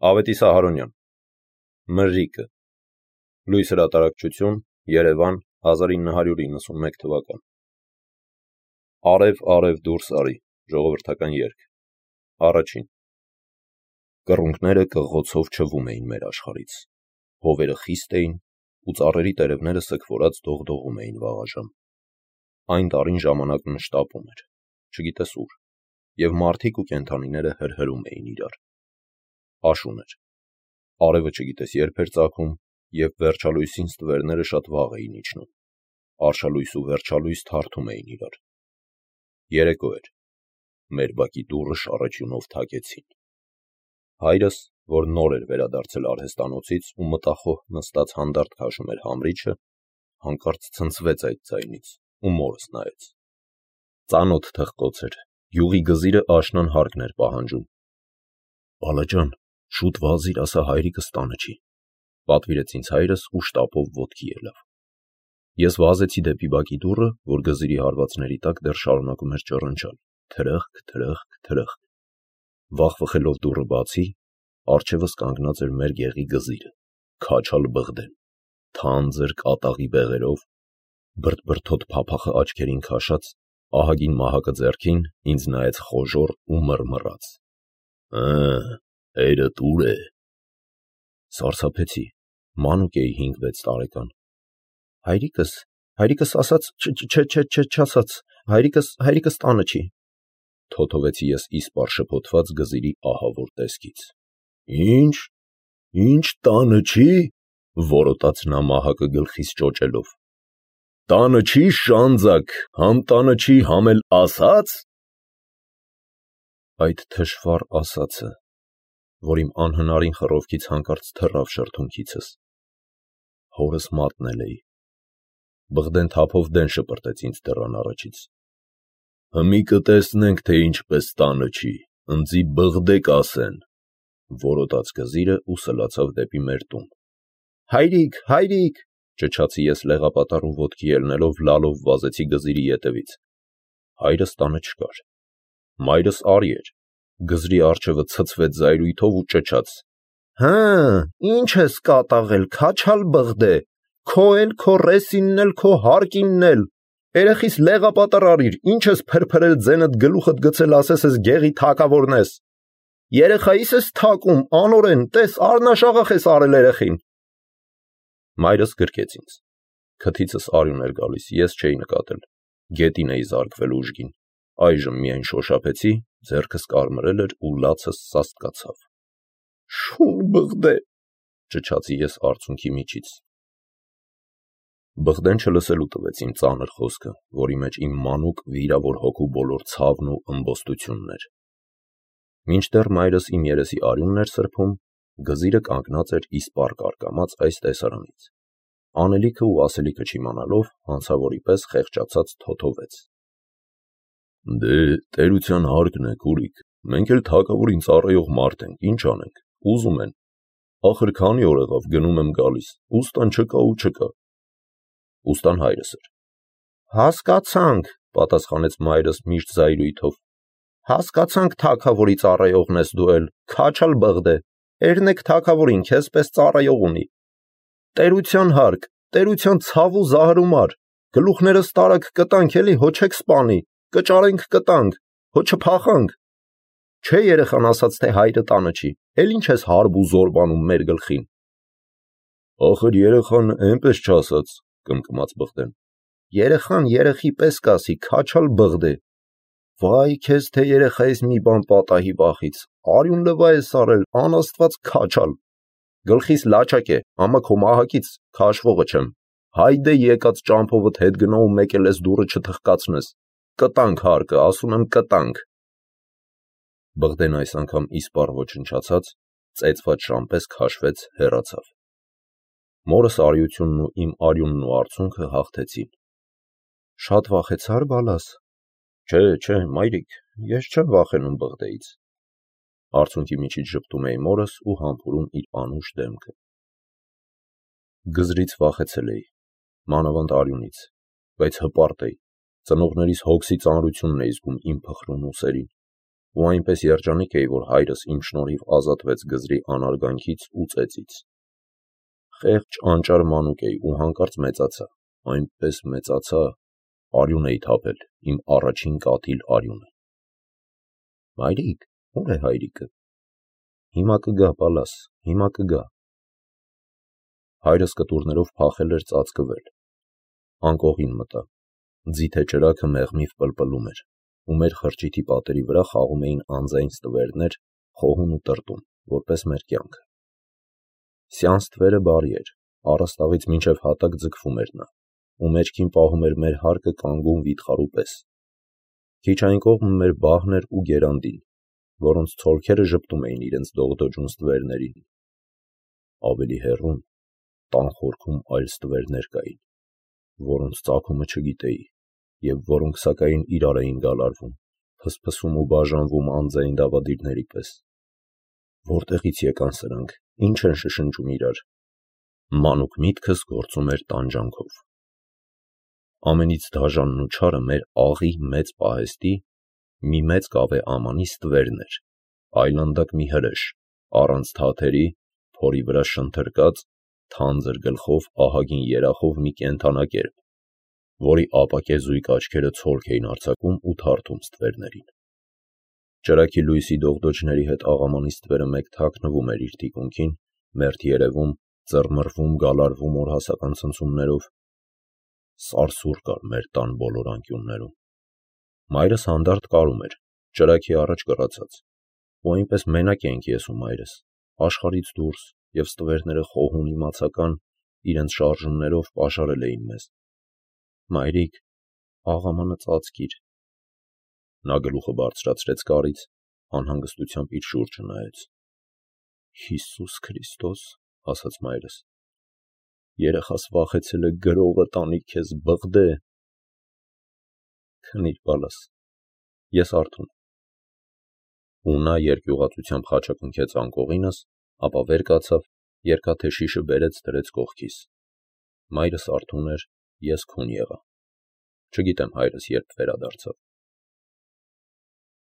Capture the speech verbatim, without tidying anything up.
Ավետիս Ահարոնյան, Մրրիկը, Լույս հրատարակչություն, Երևան, հազար ինը հարյուր իննսունմեկ թվական։ Արև, արև դուրս արի, ժողովրդական երգ, առաջին։ Կռունկները կղղոցով չվում էին մեր աշխարից, հովերը խիստ էին ու ծառերի տերևները սքվորած դողդողում էին վաղաժամ։ Այն տարին ժամանակն շտապում էր, չգիտես ուր, և մարդիկ ու կենդանիները հրհրում էին իրար։ Աշուն էր, արևը չգիտես երբ էր ծագում, և վերջալույսին ստվերները շատ վաղ էին իջնում, արշալույս ու վերջալույս թարթում էին իրար։ Երեկո էր, մեր բակի դուռը շառաչյունով թակեցին։ Հայրս, որ նոր էր վերադարձել արհեստանոցից ու մտախոհ նստած հանդարտ քաշում էր համրիչը, հանկարծ ցնցվեց այդ ձայնից ու մորս նայեց։ Ծանոթ թխկոց էր, յուղի գզիրը աշնան հարկն էր պահանջում։ Բալաջան, շուտ վազիր, ասա հայրիկս տանը չի, պատվիրեց ինձ հայրս ու շտապով ոտքի ելավ։ Ես վազեցի դեպի բակի դուռը, որ գզիրի հարվածների տակ դեռ շարունակում էր ճռնչալ, թրըխկ, թրըխկ, թրըխկ։ Վախվխելով դուռը բացի, առջևս կանգնած էր մեր գեղի գզիրը, քաչալ բղդեն, թանձր կատաղի բեղերով, բրդբրդոտ փափախը աչքերին քաշած, ահագին մահակը ձեռքին, ինձ նայեց խոժոռ ու մռմռաց։ Ը, հայրդ ուր է։ Սարսափեցի, մանուկ էի հինգ-վեց տարեկան։ Հայրիկս, հայրիկս ասաց, չ-չ-չ-չ-չասաց, հայրիկս, հայրիկս տանը չի։ Թոթովեցի ես իսպառ շփոթված գզիրի ահավոր տեսքից։ Ինչ, ինչ տանը չի, որոտաց նա մահակը գլխիս ճոճելով։ Տանը չի շանձակ, համ տանը չի, համ էլ ասաց։ Այդ թշվառ ասացը, որ իմ անհնարին խռովքից հանկարծ թռավ շրթունքիցս, հորս մատնել էի։ Բղդեն թափով դեն շպրտեց ինձ դռան առաջից։ Հմի կտեսնենք, թե ինչպես տանը չի, ընձի բղդեք ասեն, որոտաց գզիրը ու սլացավ դեպի մեր տուն։ Հայրիկ, հայրիկ, ճչացի ես լեղապատառ ու ոտքի ելնելով լալով վազեցի գզիրի ետևից։ Հայրս տանը չկար։ Մայրս արի էր, գզրի առջևը ցցվեց զայրույթով ու ճչաց. Հը, ինչ ես կատաղել, քաչալ բղդե, քո էլ քո ռեսինն էլ քո հարկինն էլ, երեխիս լեղապատառ արիր, ինչ ես փրփրել ձենդ գլուխդ գցել ասես ես գեղի թակավորն ես, երեխայիս ես թակում, անօրեն, տես արնաշաղախ ես արել երեխին։ Մայրս գրկեց ինձ, քթիցս արյուն էր գալիս, ես չէի նկատել, գետին էի զարկվել ուժգին, այժմ միայն շոշափեցի, ձեռքս կարմրել էր ու լացս սաստկացավ։ Շուն բղդե, ճչացի ես արցունքի միջից։ Բղդեն չլսելու տվեց իմ ծանր խոսքը, որի մեջ իմ մանուկ վիրավոր հոգու բոլոր ցավն ու ըմբոստությունն էր։ Մինչդեռ մայրս իմ երեսի արյունն էր սրբում, գզիրը կանգնած էր իսպառ կարկամած այս տեսարանից։ Անելիքը ու ասելիքը չիմանալով, հանցավորի պես խեղճացած թոթովեց։ Դե, տերության հարկն է, քուրիկ, մենք էլ թագավորին ծառայող մարդ ենք, ինչ անենք, ուզում են, ախր քանի օր եղավ գնում եմ գալիս, ուստան չկա ու չկա։ Ուստան հայրս էր։ Հասկացանք, պատասխանեց մայրս միշտ զայրույթով։ Հասկացանք թագավորի ծառայողն ես դու էլ, քաչալ բղդե, երնեք թագավորին քեզ պես ծառայող ունի։ Տերության հարկ, տերության ցավ ու զահրումար, գլուխներս տարակ կտանք էլի, հո չեք սպանի, կճարենք կտանք, հո չփախանք։ Չէ երեխան ասաց, թե հայրը տանը չի, էլ ինչ ես հարբ ու զորբանում մեր գլխին։ Ախր երեխան էնպես չասաց, կմկմաց Բղդեն։ Երեխան երեխի պես կասի, քաչալ բղդե։ Վայ քեզ թե երեխայիս մի բան պատահի վախից, արյուն լվա ես արել, անաստված քաչալ։ Գլխիս լաչակ է, ամա քո մահակից քաշվողը չեմ։ Հայդե եկած ճամփովդ հետ գնա ու մեկ էլ ես դուռը չթխկացնես։ Կտանք հարկը, ասում եմ կտանք։ Բղդեն այս անգամ իսպառ ոչնչացած, ծեծված շամպես քաշվեց, հեռացավ։ Մորս արիությունն ու իմ արյունն ու արցունքը հաղթեցին։ Շատ վախեցար բալաս։ Չէ, չէ, մայրիկ, ես չեմ վախենում Բղդեից։ Արցունքի միջից ժպտում էի մորս ու համբուրում իր անուշ դեմքը։ Գզրից վախեցել էի, մանավանդ արյունից, բայց հպարտ էի, ծնողներիս հոգսի ծանրությունն էի զգում իմ փխրուն ուսերին։ ու այնպես երջանիկ էի, որ հայրս իմ շնորհիվ ազատվեց գզրի անարգանքից ու ծեծից։ Խեղճ անճար մանուկ էի ու հանկարծ մեծացա, այնպես մեծացա, արյուն էի թափել, իմ առաջին կաթիլ արյունը։ Մայրիկ, ո՞ւր է հայրիկը։ Հիմա կգա, պալաս, հիմա կգա։ Հայրս կտուրներով փախել էր ծածկվել։ Անկողին մտա։ Ձիթե ճրագը մեղմիվ պլպլում էր, ու մեր խրճիթի պատերի վրա խաղում էին անձայն ստվերներ, խոհուն ու տրտում, որպես մեր կյանքը։ Սյանս թվերը բարի էր, առաստաղից մինչև հատակ ձգվում էր նա, ու մեջքին պահում էր մեր հարկը կանգուն վիթխարու պես։ Քիչ այն կողմը մեր բահն էր ու գերանդին, որոնց ցոլքերը ժպտում էին իրենց դողդոջուն ստվերներին։ Ավելի հեռուն, տան խորքում այլ ստվերներ կային, որոնց ծագումը չգիտեի, և որոնք սակայն իրար էին գալարվում, փսփսում ու բաժանվում անձայն դավադիրների պես։ Որտեղից եկան սրանք, ինչ են շշնջում իրար։ Մանուկ միտքս գործում էր տանջանքով։ Ամենից դաժանն ու չարը մեր աղի մեծ պահեստի մի մեծ կավե ամանի ստվերն էր, այլանդակ մի հրեշ, առանց թաթերի, փորի վրա շնթրկած, թանձր գլխով, ահագին երախով մի կենդանակերպ, որի ապակե զույգ աչքերը ցոլք էին արձակում ու թարթում ստվերներին։ Ճրագի լույսի դողդոջների հետ աղամանի ստվերը մեկ թաքնվում էր իր թիկունքին, մերթ երևում, ծռմռվում, գալարվում օրհասական ցնցումներով։ Սարսուռ կար մեր տան բոլոր անկյուններում։ Մայրս հանդարտ կարում էր, ճրագի առաջ կռացած, ու այնպես մենակ էինք ես ու մայրս, աշխարհից դուրս, և ստվերները խոհուն իմացական, իրենց շարժումներով պաշարել էին մեզ։ Մայրիկ, աղամանը ծածկիր։ Նա գլուխը բարձրացրեց կարից, անհանգստությամբ իր շուրջը նայեց։ Հիսուս Քրիստոս, ասաց մայրս, երեխաս վախեցել է գրողը տանի քեզ բղդե։ Քնիր, պալաս, ես արթուն եմ։ Ու նա երկյուղածությամբ խաչակնքեց անկողինս, ապա վեր կացավ, երկաթե շիշը բերեց դրեց կողքիս։ Մայրս արթուն էր, ես քուն եղա։ Չգիտեմ հայրս երբ վերադարձավ։